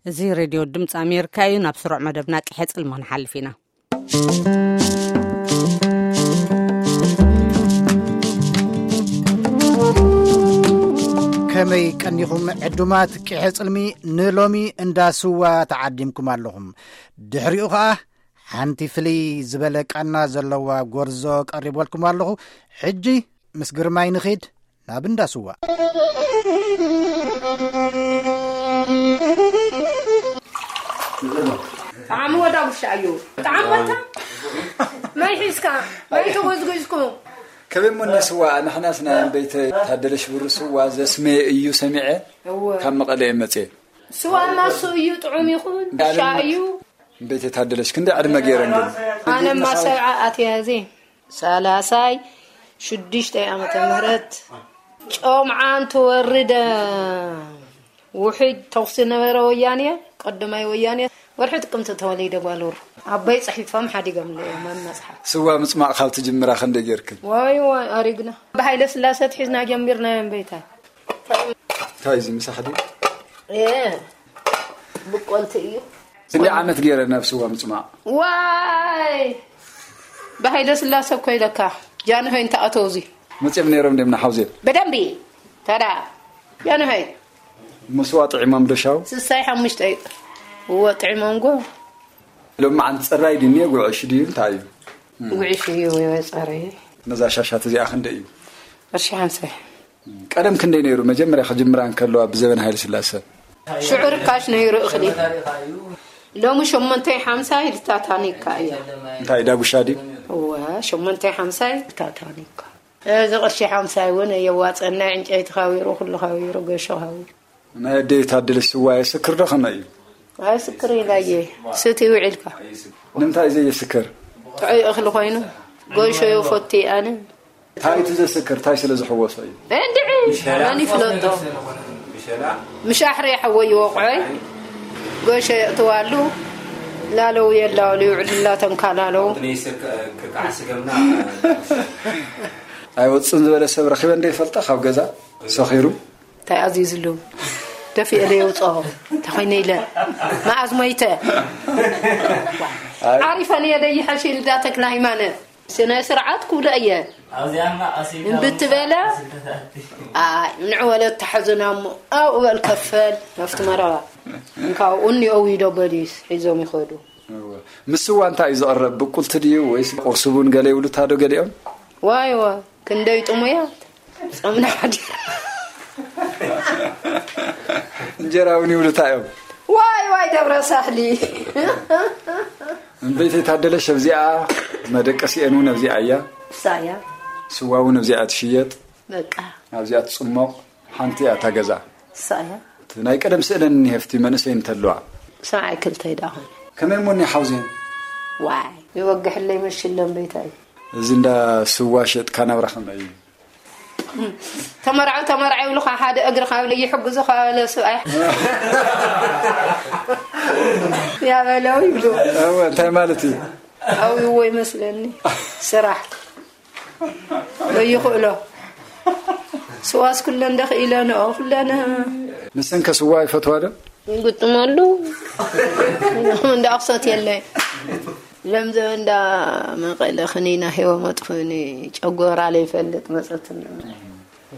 እዚ ሬድዮ ድምፂ ኣሜሪካ እዩ። ናብ ስሩዕ መደብና ቅሐ ጽልሚ ክንሓልፍ ኢና። ከመይ ቀኒኹም ዕዱማት ቅሐ ጽልሚ? ንሎሚ እንዳ ስዋ ተዓዲምኩም ኣለኹም። ድሕሪኡ ኸኣ ሓንቲ ፍልይ ዝበለ ቃና ዘለዋ ጎርዞ ቀሪበልኩም ኣለኹ። ሕጂ ምስ ግርማይ ንኺድ ናብ እንዳ ስዋ። ጠዓሚ ወዳ ውሻ እዩ። ጠዓሚ ወታ ማይ ሒዝካ ማይ ተጎዝጉዝኩ። ከመይ እሞ እኒ ስዋ ንሕናስ ናይ እምበይተ ታደለ ሽብሩ ስዋ ዘስመየ እዩ ሰሚዐ። እወ። ካብ መቐለ እየ መፅየ። ስዋ ማሱ እዩ ጥዑም ይኹን ውሻ እዩ። እምበይተ ታደለሽ ክንደይ ዕድመ ገይረን ግን? ኣነ ማሰብዓ ኣትያ እዚ ሰላሳይ ሽዱሽተ ዓመተ ምህረት ጮምዓ እንትወርደ ውሕጅ ተኹሲ ነበረ ወያኔ፣ ቀዳማይ ወያኔ። ወርሒ ጥቅምቲ ተወሊደ ጓል ወሩ ኣቦይ ጽሒፎም ሓዲጎምለይ እዮም ኣብ መጽሓፍ። ስዋ ምጽማቕ ካብ ትጅምራ ክንደይ ጌርክን? ዋይ ዋይ ኣሪግና። ብሃይለ ስላሰ ትሒዝና ጀሚርና እዮም በይታ። እንታይ እዚ ምሳሕ ድዩ? እ ብቆልቲ እዩ። ክንደይ ዓመት ገይረ ናብ ስዋ ምጽማቕ? ዋይ ብሃይለ ስላሰ እኮ ኢለካ ጃንሆይ እንተኣተው እዚ መጽኦም ነይሮም ድዮም ንሓውዜን? ብደንቢ። ታዳ ጃንሆይ ምስዋ ጥዒሞም ዶ ሻው? ስሳይ ሓሙሽተ እዩ። እዎ ጥዒሞም ጎ። ሎማዓንቲ ፅራይ ድዩ እኒኦ ጉዕሽ ድዩ እንታይ እዩ? ጉዕሽ እዩ። ወይወይ ፀረየ። ነዛ ሻሻት እዚኣ ክንደይ እዩ? ቅርሺ ሓምሳ። ቀደም ክንደይ ነይሩ? መጀመርያ ክጅምራ እንከለዋ ብዘበን ሃይለ ስላሰ። ሽዑ ርካሽ ነይሩ እኽሊ። ሎሚ ሸሞንተ ሓምሳ ኢልታ ታኒካ እያ። እንታይ ዳጉሻ ድዩ? እወ ሸሞንተ ሓምሳ ኢልታ ታኒካ። እዚ ቅርሺ ሓምሳ እውን የዋፀና። ዕንጨይቲ ካዊሩ ኩሉ ካዊሩ ገሾ ካዊሩ። ናይ ኣደይ ታደለሽ ስዋ የስክር ዶ ከመይ እዩ? ኣይስክር ኢላየ። ስቲ ውዒልካ። ንምንታይ ዘየስክር? ጥዑይ እኽሊ ኮይኑ ጎሾ የፈቱ ኣነ። እንታይ እቲ ዘስክር እንታይ ስለ ዝሕወሶ እዩ? እንድዒ መን ይፍለጦ? ምሻሕሪ ሓወይ ይወቕዖይ ጎሾ የእትዋሉ ላለው የላውሉ ይውዕልላ ተንካላለው። ኣይወፅን ዝበለ ሰብ ረኺበ እንደ ይፈልጣ ካብ ገዛ ሰኺሩ እንታይ ኣዚዝሉ ደፊኤ ለየውፅኦ ተኾይነ ኢለ መኣዝ ሞይተ ዓሪፈን እየ ደይሐሽ ኢልዳ ተክለ ሃይማኖት ስነ ስርዓት ክብሎ እየ እምብትበለ ኣይ ንዕወለ ተሓዝና እሞ ኣብኡ በል ከፈል ናብቲ መረባ እንካብኡ እኒኦ ዊዶ በሊስ ሒዞም ይኸዱ። እወ። ምስ ስዋ እንታይ እዩ ዝቐርብ? ብቁልቲ ድዩ ወይስ ቁርሲ ቡን ገለ ይብሉታ ዶ ገሊኦም? ዋይ ዋይ ክንደይ ጥሙያት ጾምና ሓዲር። እንጀራ እውን ይብሉታ እዮም። ዋይ ዋይ ደብረ ሳህሊ። እምበይተይ ታደለሽ ኣብዚኣ መደቀሲአን እውን ኣብዚኣ እያ። እሳ እያ። ስዋ እውን ኣብዚኣ ትሽየጥ። በቃ። ኣብዚኣ ትጽሞቕ ሓንቲ እያ እታ ገዛ። እሳ እያ። እቲ ናይ ቀደም ስእለን እኒሀ ኣብቲ መንእሰይ እንተለዋ። ሰብዓይ ክልተ ይዳ ኾነ። ከመይ እሞ እኒሀ ሓውዜን? ዋይ ይወግሕለይ መሽለ እምበይታይ። እዚ እንዳ ስዋ ሸጥካ ናብራ ከመይ እዩ? ተመርዓው ተመርዓው ይብሉኻ ሓደ እግርኻ ይሕግዙኻ በለ ሰብኣይ። ያበለው ይብሉ። እወ እንታይ ማለት እዩ? ኣውይዎ ይመስለኒ ስራሕ ዘይኽእሎ ስዋስ ኩለን ደኽኢለንኦ ኩለን ንሰን ከ ስዋ ይፈትዋ ዶ? ይግጥመሉ እንዳ ኣኽሰት የለ ለምዘ እንዳ መቐለ ክኒና ሄወ መጥፍእኒ ጨጎራ ለይፈልጥ መፀትና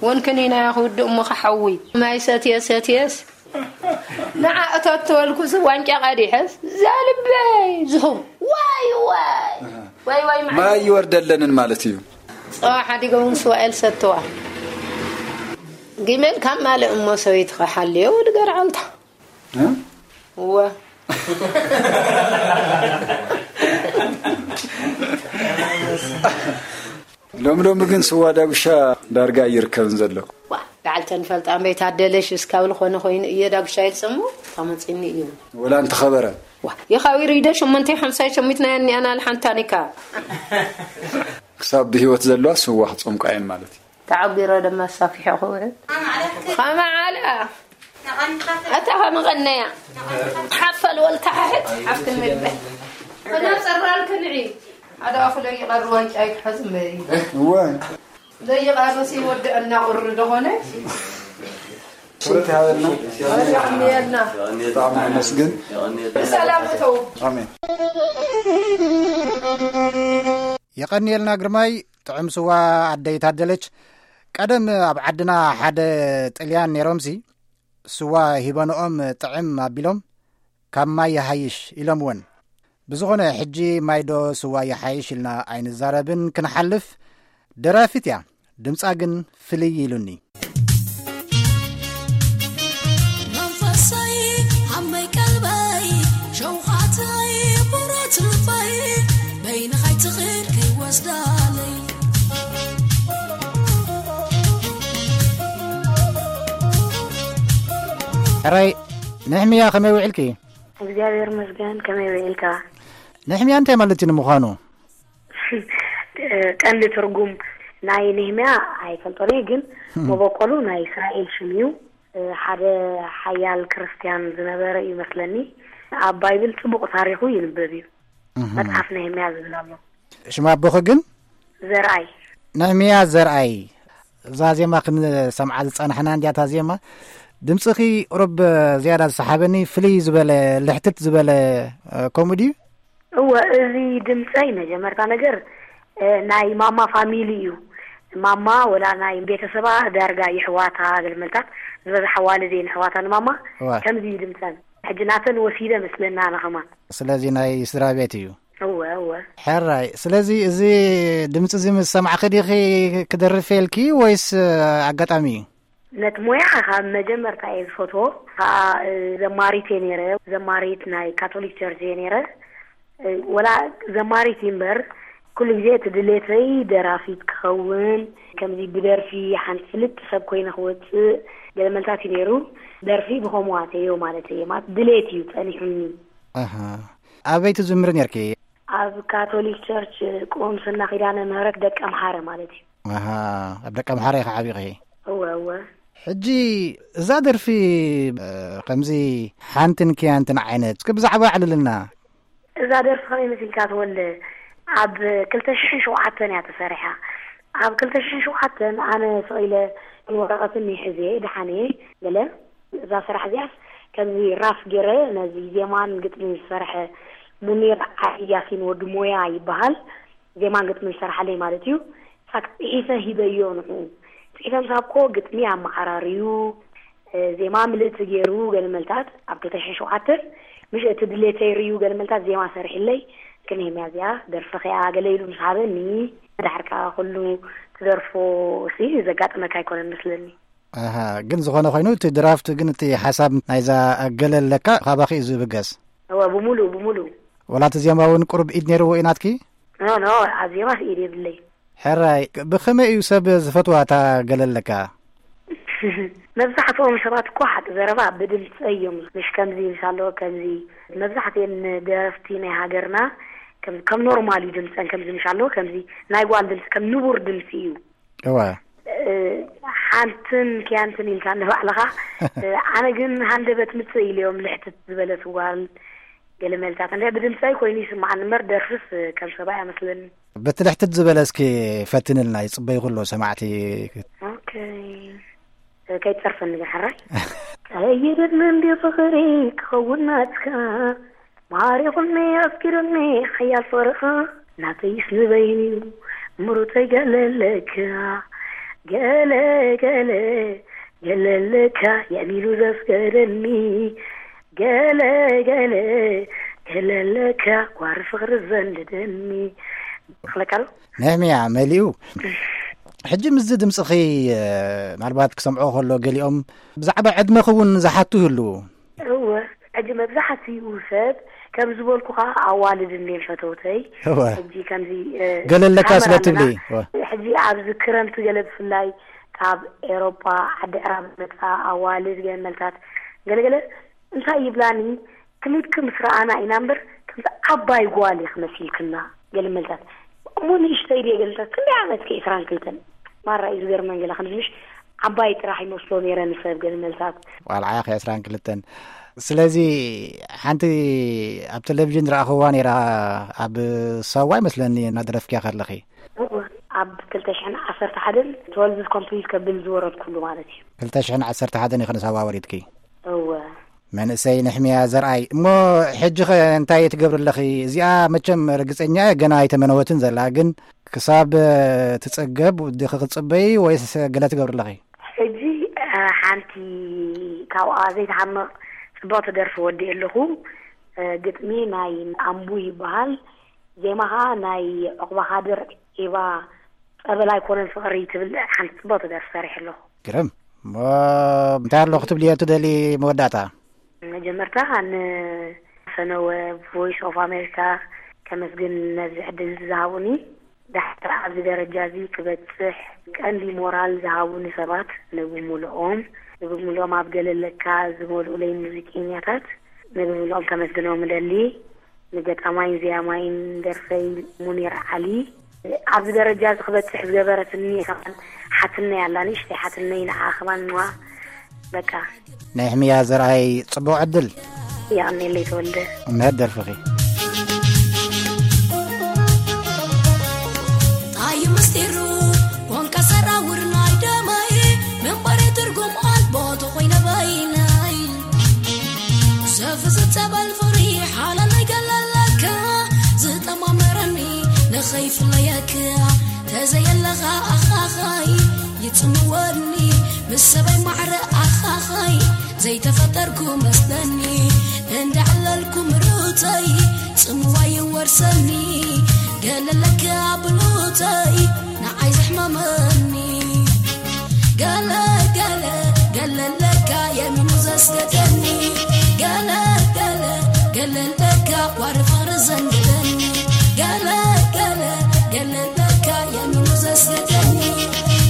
ወንክኒና ክውድእ እሞ ክሓዊ ማይ ሰትየ ሰትየስ ንዓ እተተወልኩ ዚ ዋንጫ ቀዲሐስ ዛልበይ ዝኹም ዋይ ዋይ ዋይ ዋይ ማይ ይወርደለንን ማለት እዩ። ፀዋ ሓዲጎም ስዋኤል ሰተዋ ጊመል ካብ ማልእ እሞ ሰበይትኻ ሓልዮ ወዲ ገርዓልታ እወ ሎሚ ሎሚ ግን ስዋ ዳጉሻ ዳርጋ ኣይርከብን ዘሎ። ዋ በዓልተን ፈልጣ እምበይ ታደለሽ እስካብ ዝኾነ ኮይኑ እየ ዳጉሻ ይልፅሞ ታመፅኒ እዩ። ወላ እንተኸበረ ዋ የኻዊሩ ኢደ ሸሞንተ ሓምሳ ሸሚት ናይ ኣኒኣና ልሓንታኒካ ክሳብ ብህይወት ዘለዋ ስዋ ክፀምቃ እየን ማለት እዩ። ተዓቢረ ድማ ኣሳፊሐ ክውዕል ከመ ዓለ ኣታ ከመ ቀነያ ሓፈል ወልታ ሓሕት ሓፍትን ምግበ ከና ፀራል ክንዒ ሓደ ኣፉ ለይቐር ዋንጫ ይትሓዝ እምበይ እወ ዘይቐርስ ይወድአና ቁሪ ደኾነ ክብረት ይሃበልና። የቐንየልና። ብጣዕሚ ነመስግን። ብሰላም እተው። ኣሜን። የቐንየልና ግርማይ፣ ጥዑም ስዋ ኣደይ ታደለች። ቀደም ኣብ ዓድና ሓደ ጥልያን ነይሮምሲ፣ ስዋ ሂበንኦም ጥዕም ኣቢሎም፣ "ካብ ማይ ይሃይሽ" ኢሎምወን። ብዝኾነ፣ ሕጂ ማይዶ ስዋ ይሓይሽ ኢልና ኣይንዛረብን፣ ክንሓልፍ። ደራፊት እያ፣ ድምጻ ግን ፍልይ ኢሉኒ። መንፈሰይ፣ ዓመይ ቀልበይ፣ ሸውሃተይ፣ ብረት ልበይ፣ በይንኻ ኣይትኽድ ከይወስዳለይ። ሕራይ፣ ንሕምያ ከመይ ውዕልኪ? እግዚኣብሔር ይመስገን። ከመይ ውዒልካ? ንሕምያ እንታይ ማለት እዩ ንምዃኑ? ቀንዲ ትርጉም ናይ ነህምያ ኣይፈልጦን እየ፣ ግን መበቆሉ ናይ እስራኤል ሽም እዩ። ሓደ ሓያል ክርስትያን ዝነበረ እዩ መስለኒ። ኣብ ባይብል ጽቡቕ ታሪኹ ይንበብ እዩ። እህ። መጽሓፍ ነህምያ ዝብል ኣሎ። ሽም ኣቦኺ ግን? ዘርኣይ። ነህምያ ዘርኣይ። እዛ ዜማ ክንሰምዓ ዝጸናሕና እንድያ እታ ዜማ። ድምጽኺ ቁሩብ ዝያዳ ዝሰሓበኒ፣ ፍልይ ዝበለ፣ ልሕትት ዝበለ፣ እ፣ ከምኡ ድዩ? እወ፣ እዚ ድምጸይ መጀመርታ ነገር፣ እ፣ ናይ ማማ ፋሚሊ እዩ። ማማ ወላ ናይ ቤተሰባ ዳርጋ ይሕዋታ ገለመልታት ዝበዝሓ ዋልድ እየን ኣሕዋታ ንማማ። እወ። ከምዚ እዩ ድምጸን። ሕጂ ናተን ወሲደ መስለና ኣነ ከማን። ስለዚ ናይ ስድራ ቤት እዩ። እወ፣ እወ። ሕራይ፣ ስለዚ እዚ ድምጺ እዚ ምስ ሰማዕኺ ዲኺ ክደርፍ ኢልኪ ወይስ ኣጋጣሚ እዩ? ነቲ ሞያ ካብ መጀመርታ እየ ዝፈትዎ። ከኣ፣ እ፣ ዘማሪት እየ ነይረ። ዘማሪት ናይ ካቶሊክ ቸርች እየ ነይረ። እ፣ ወላ ዘማሪት እዩ እምበር፣ ኩሉ ግዜ እቲ ድሌተይ ደራፊት ክኸውን፣ ከምዚ ብደርፊ ሓንቲ ፍልጥቲ ሰብ ኮይነ ክወጽእ ገለ መልታት እዩ ነይሩ። ደርፊ ብኸምኡ ኣተዮ ማለት እየ። ማለት ድሌት እዩ ጸኒሑኒ። ኣሃ። ኣበይ ትዝምሪ ነርኪ? ኣብ ካቶሊክ ቸርች ቁምስና ኪዳነ ምህረት ደቀምሓረ ማለት እዩ። ኣሃ፣ ኣብ ደቀምሓረ ኢኻ ዓቢኺ? እወ፣ እወ። ሕጂ እዛ ደርፊ፣ እ፣ ከምዚ ሓንትን ክያንትን ዓይነት፣ እስኪ ብዛዕባ ኣዕልልና። እዛ ደርፊ ከመይ መሲልካ ተወልደ? ኣብ ክልተ ሽሕን ሸውዓተን እያ ተሰሪሓ። ኣብ ክልተ ሽሕን ሸውዓተን ኣነ ስቕ ኢለ ወረቐትን ሒዘ ደሓነ ገለ እዛ ስራሕ እዚኣስ ከምዚ ራፍ ገይረ ነዚ ዜማን ግጥምን ዝሰርሐ ሙኒር ዓሊ ያሲን ወዲ ሞያ ይበሃል። ዜማን ግጥምን ዝሰርሓለይ ማለት እዩ። ሳክ ጽሒፈ ሂበዮ ንዕኡ። ጽሒፈ ምስ ሃብኮ ግጥሚ ኣመዓራርዩ፣ እ፣ ዜማ ምልእቲ ገይሩ ገለ መልታት ኣብ ክልተ ሽሕን ሸውዓተን፣ ምሽ እቲ ድሌተይ ርእዩ ገለ መልታት ዜማ ሰሪሕለይ፣ ክንህምያ እዚኣ ደርፈኺ እያ ገለ ኢሉ ምስ ሃበኒ፣ ድሓር ከኣ ኩሉ ትደርፎ ሲ ዘጋጥመካ ኣይኮነን መስለኒ። ኣሃ፣ ግን ዝኾነ ኮይኑ እቲ ድራፍት ግን እቲ ሓሳብ ናይዛ ገለ ኣለካ ካባኺ እዩ ዝብገስ። እወ፣ ብምሉእ፣ ብምሉእ። ወላ እቲ ዜማ እውን ቁሩብ ኢድ ነይርዎ እዩ ናትኪ? ኖ፣ ኖ፣ ኣብ ዜማስ ኢድ የብለይ። ሕራይ፣ ብኸመይ እዩ ሰብ ዝፈትዋ እታ ገለ ኣለካ? መብዛሕትኦም ሰባት እኮ ሓቂ ዘረባ ብድምፀይ እዮም። ምሽ ከምዚ ምስ ኣለዎ ከምዚ። መብዛሕትኤን ደረፍቲ ናይ ሃገርና ከም፣ ከም ኖርማል እዩ ድምፀን፣ ከምዚ ምሽ ኣለዎ ከምዚ ናይ ጓል ድምፂ፣ ከም ንቡር ድምፂ እዩ። እወ። እ፣ ሓንትን ክያንትን ኢልካ ንባዕልኻ። እ፣ ኣነ ግን ሃንደበት ምጽእ ኢለዮም ልሕትት ዝበለት ጓል ገለ መልታት። እንደ ብድምጻይ ኮይኑ ይስምዓኒ እምበር ደርፍስ ከም ሰብኣይ ኣይመስለኒ። በቲ ልሕትት ዝበለ እስኪ ፈትንልና፣ ይጽበዩ ኩሎ ሰማዕቲ። ኦኬ። ከይትጸርፈኒ ግን ሕራይ። ቀይርኒ እንዲ ፍቕሪ ክኸውን ናትካ፣ ማሪኹኒ ኣፍቂሩኒ ሓያል ፍቕርኻ፣ ናተይስ ንበይኑ ምሩተይ ገለለካ፣ ገለ፣ ገለ፣ ገለለካ፣ የእሚሉ ዘስገደኒ፣ ገለ፣ ገለ፣ ገለለካ፣ ዋሪ ፍቕሪ ዘንድደኒ። ክለካ ዶ? ነህምያ መሊኡ። ሕጂ ምስዚ ድምፅኺ፣ እ፣ ምናልባት ክሰምዖ ከሎ ገሊኦም ብዛዕባ ዕድመኺ እውን ዝሓቱ ይህልዉ። እወ፣ ሕጂ መብዛሕትኡ ሰብ ከም ዝበልኩኻ ኣዋልድ እንድየን ፈተውተይ። እወ። ሕጂ ከምዚ፣ እ፣ ገለ ኣለካ ስለ ካመራ ትብሊ። ኣለና። እወ። ሕጂ ኣብዚ ክረምቲ ገለ ብፍላይ ካብ ኤሮጳ ዓዲ ዕራብ ዝመጻ ኣዋልድ ገለ መልታት ገለገለ እንታይ ይብላኒ፣ ክሊፕኪ ምስ ረኣና ኢና እምበር ከምዚ ዓባይ ጓል ኢኺ መሲልክና ገለ መልታት። እሞ ንእሽተይ ድየ ገለ መልታት፣ ክንደይ ዓመትኪ? ዕስራን ክልተን። ማራ እዩ ዝገርመን ገለ ከምዚ ምሽ ዓባይ ጥራሕ ይመስሎ ነይረ ንሰብ ገለ መልታት። ዋላ ዓኺ ዕስራን ክልተን። ስለዚ ሓንቲ ኣብ ቴሌቪዥን ዝረኣኽዋ ነይራ፣ ኣብ ሳዋ ይመስለኒ እናደረፍክያ ከለኺ። እወ፣ ኣብ ክልተ ሽሕን ዓሰርተ ሓደን ትወልቭ ኮምፕሊት ከብል ዝወረድኩሉ ማለት እዩ። ክልተ ሽሕን ዓሰርተ ሓደን ኢኸ ንሳብ ኣወሪድኪ? እወ። መንእሰይ ንሕምያ ዘርኣይ። እሞ ሕጂ ኸ እንታይ ትገብሪ ኣለኺ? እዚኣ መቸም ርግጸኛ እየ ገና ኣይተመነወትን ዘላ፣ ግን ክሳብ ትጸገብ ዲኺ ክትጽበዪ ወይስ ገለ ትገብሪ ኣለኺ? ሕጂ፣ እ፣ ሓንቲ ካብኣ ዘይትሓምቕ ጽብቕቲ ደርፊ ወዲኤ ኣለኹ። እ፣ ግጥሚ ናይ ኣምቡ ይበሃል። ዜማ ኸኣ ናይ ዑቕባ ካድር፣ ኤባ፣ ጸበል ኣይኮነን ፍቕሪ ትብል ሓንቲ ጽብቕቲ ደርፊ ሰሪሐ ኣለኹ። ግርም። እሞ እንታይ ኣሎ ክትብልዮ ትደሊ መወዳእታ? መጀመርታ ንፈነወ ቮይስ ኦፍ ኣሜሪካ ከመስግን ነዚ ዕድል ዝሃቡኒ። ዳሕር ኣብዚ ደረጃ እዚ ክበጽሕ ቀንዲ ሞራል ዝሃቡኒ ሰባት ንብምልኦም፣ ንብምልኦም ኣብ ገለለካ ዝመልኡለይ ሙዚቀኛታት ንብምልኦም ከመስግኖም እደሊ። ንገጣማይን ዜማይን ደርፈይ ሙኒር ዓሊ። ኣብዚ ደረጃ እዚ ክበጽሕ ዝገበረትኒ ከማን ሓትነይ ኣላ፣ ንእሽተይ ሓትነይ፣ ንዓ ከማን ዋ በቃ። ናይ ሕምያ ዘርኣይ ጽቡቕ ዕድል። የቐንየለይ ተወልደ። እምነት ደርፍኺ። ጣይ ምስጢሩ ኮንካ ሰራውር ናይ ደመይ፣ ምንባረይ ትርጉም ኣልቦ ተኾይነ በይነይ። ዘፍዝዝ ጸበል ፍቕሪ ሓላለይ ገለለካ፣ ዝጠማመረኒ ንኸይፍለየካ፣ ተዘየለኻ ኣኻኸይ ይጽምወኒ፣ ምስ ሰበይ ማዕረ ኣኻኸይ ዘይተፈጠርኩ መስለኒ፣ እንዳዕለልኩ ምሩተይ ጽምዋ ይወርሰኒ፣ ገለለካ ብሉተይ ንዓይ ዘሕመመኒ። ገለ ገለ ገለለካ የሚኑ ዘስገደኒ፣ ገለ ገለ ገለለካ ዋሪ ፍቕሪ ዘንገደኒ፣ ገለ ገለ ገለለካ የሚኑ ዘስገደኒ፣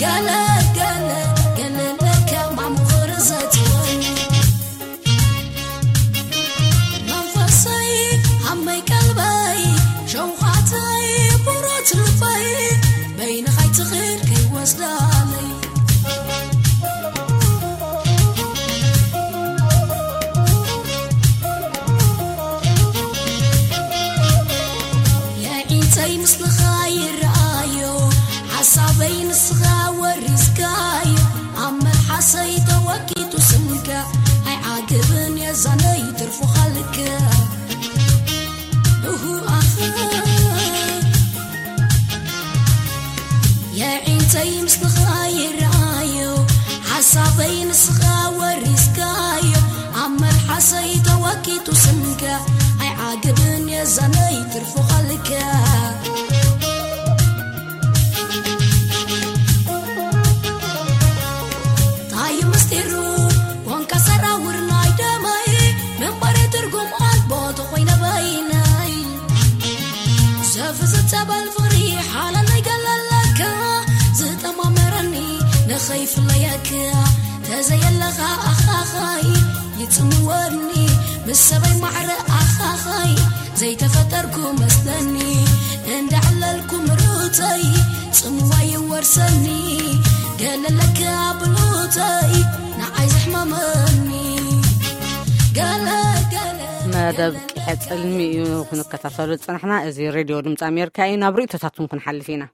ገለ ገለ ገለለካ ማሙ ፍቕሪ ዘትወኒ። መንፈሰይ ዓመይ ቀልበይ ሸውኻተይ ቡሮት ልበይ በይንኻ ኣይትኽእል ከይወስዳለይ። የዒንተይ ምስልኻ ይረኣዮ ሓሳበይ ንስኻ ወሪስካዮ ኣብ መልሓሰይ ተወቂጡ ስምካ ኣይዓግብን የዛነይ ትርፉኻ ልክዕ። እሁ ኣኸ የዒንተይ ምስልኻ ይረኣዮ ሓሳበይ ንስኻ ወሪስካዮ ኣብ መልሓሰይ ተወቂጡ ስምካ ኣይዓግብን የዛነይ ትርፉኻ ልክዕ። ታይ ምስጢሩ ኮንካ ሰራውር ናይ ደመይ ምንባረይ ትርጉም ኣልቦ ተኾይነ በይነይ። ዘፍዝዝ ጸበል ፍቕሪ ሓላለይ ገለለካ ዝጠማመረኒ ንኸይፍለየካ ተዘየለኻ ኣኻኸይ ይጽምወኒ ምስ ሰበይ ማዕረ ኣኻኸይ ዘይተፈጠርኩ መስለኒ እንዳዕለልኩ ምሩተይ ጽምዋ ይወርሰኒ ገለለካ ብሉተይ ንዓይ ዘሕመመኒ ገለ ገለ መደብ ቀጽልሚ እዩ ክንከታተሎ ዝጸናሕና። እዚ ሬድዮ ድምፂ ኣሜሪካ እዩ። ናብ ርእይቶታትኩም ክንሓልፍ ኢና።